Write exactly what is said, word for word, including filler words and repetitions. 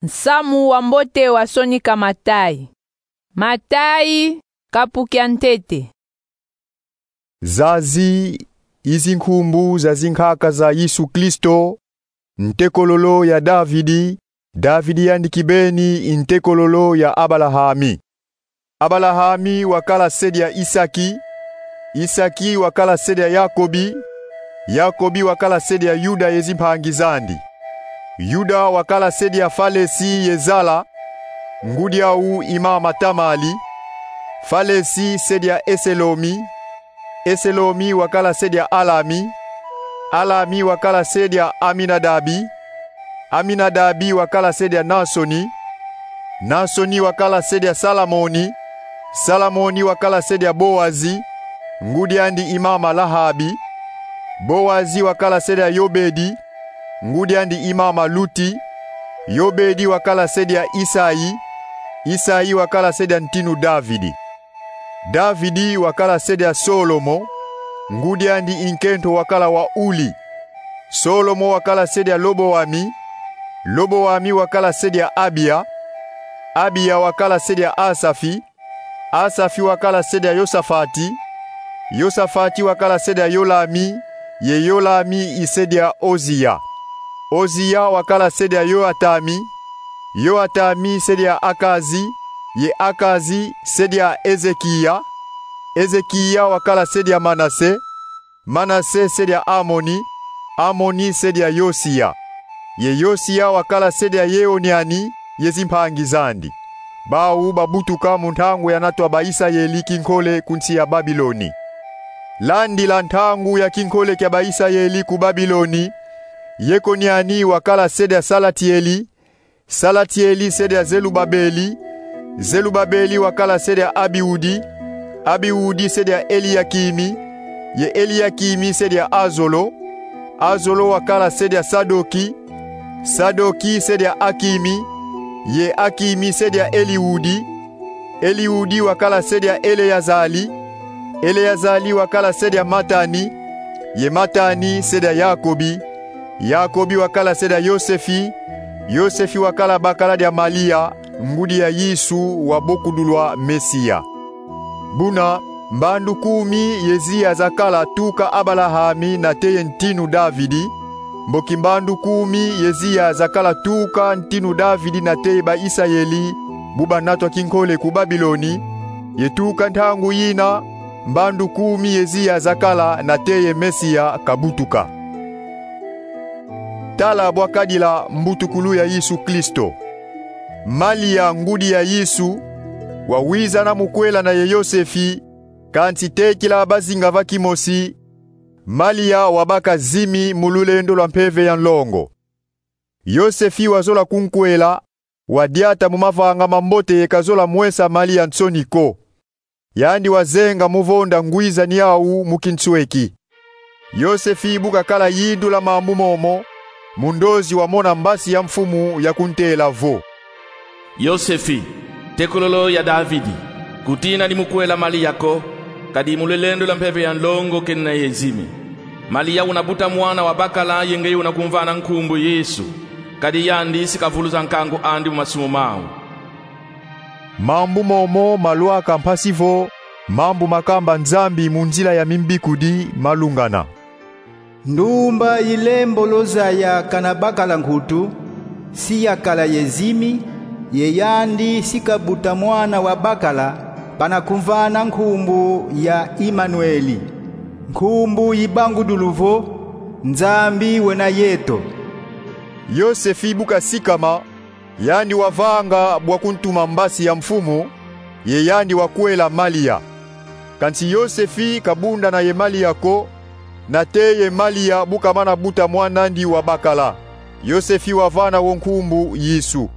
Nsamu wa mbote wasonika Matai. Matai, kapu kia ntete. Zazi i zinkumbu za zinkaka za Yesu Kristo, ntekololo ya Davidi, Davidi yandi kibeni i ntekololo ya Abalahami. Abalahami wakala se dia Isaki, Isaki wakala se dia Yakobi, Yakobi wakala se dia Yuda ye zimpangi zandi. Yuda wakala se dia Falesi ye Zala, ngudi au i mama Tamali. Falesi se dia Eselomi, Eselomi wakala se dia Alami, Alami wakala se dia Aminadabi, Aminadabi wakala se dia Nasoni, Nasoni wakala se dia Salamoni, Salamoni wakala se dia Boazi, ngudi andi i mama Lahabi. Boazi wakala se dia Yobedi, ngudi andi i mama Luti. Yobedi wakala se dia Isai, Isai wakala se dia ntinu Davidi. Davidi wakala se dia Solomo, ngudi andi i nkento wakala wa Uli. Solomo wakala se dia Loboami, Loboami wakala se dia Abia, Abia wakala se dia Asafi, Asafi wakala se dia Yosafati, Yosafati wakala se dia Yolami, ye Yolami i se dia Ozia. Ozia wakala se dia Yoatami, Yoatami se dia Akazi, ye Akazi se dia Ezekia, Ezekia wakala se dia Manase, Manase se dia Amoni, Amoni se dia Yosia, ye Yosia wakala se dia Yekoniani ye zimpangi zandi. Bau babutuka mu ntangu yanatwa Baisayeli kinkole ku nsi ya Babiloni. Landila ntangu ya kinkole kia Baisayeli ku Babiloni, Yekoniani wakala se dia Salatieli, Salatieli se dia Zelubabeli, Zelubabeli wakala se dia Abiudi, Abiudi se dia Eliakimi, ye Eliakimi se dia Azolo, Azolo wakala se dia Sadoki, Sadoki se dia Akimi, ye Akimi se dia Eliudi, Eliudi wakala se dia Eleazali, Eleazali wakala se dia Matani, ye Matani se dia Yakobi, Yakobi wakala se dia Yosefi, Yosefi wakala bakala dia Malia, ngudi ya Yesu wabokudulwa Mesia. Buna, mbandu kumi ye ziya zakala tuka Abalahami nate ye ntinu Davidi, mboki mbandu kumi ye ziya zakala tuka ntinu Davidi nate ye Baisayeli bu banatwa kinkole ku Babiloni, ye tuka ntangu yina, mbandu kumi ye ziya zakala nate ye Mesia kabutuka. Tala bwa kadila mbutukulu ya Yesu Kristo. Malia, ngudi ya Yesu, wawizana mu kwelana ye Yosefi, kansi tekila bazinga va kimosi, Malia wabaka zimi mu lulendo lwa mpeve ya nlongo. Yosefi wazola kunkwela, wadiata mu mavanga mambote ye kazola mwesa Malia nsoni ko. Yandi wazenga mu vonda ngwizani yau mu kinsweki. Yosefi bu kakala yindula mambu momo, mundozi wamona mbasi ya mfumu ya kuntela vo: Yosefi, ntekololo ya Davidi, kutina ni mu kwela Malia ko, kadi mu lulendo lwa mpeve ya nlongo kenina ye zimi. Malia una buta mwana wa bakala ye ngeye una kumvana nkumbu Yesu, kadi yandi si kavuluza nkangu andi mu masumu mau. Mambu momo malwaka mpasi vo mambu makamba Nzambi mu nzila ya mimbikudi malungana. Ndumba yi lembolo zaya kana bakala nkutu, si yakala ye zimi, ye yandi si kabuta mwana wa bakala, bana kumvana nkumbu ya Imanueli. Nkumbu yi bangudulu vo: Nzambi wena yeto. Yosefi bu kasikama, yandi wavanga bwa kuntuma mbasi ya mfumu, ye yandi wakwela Malia. Kansi Yosefi kabundana ye Malia ko, nate ye Malia bu kamana buta mwan'andi wa bakala. Yosefi wavana wo nkumbu Yesu.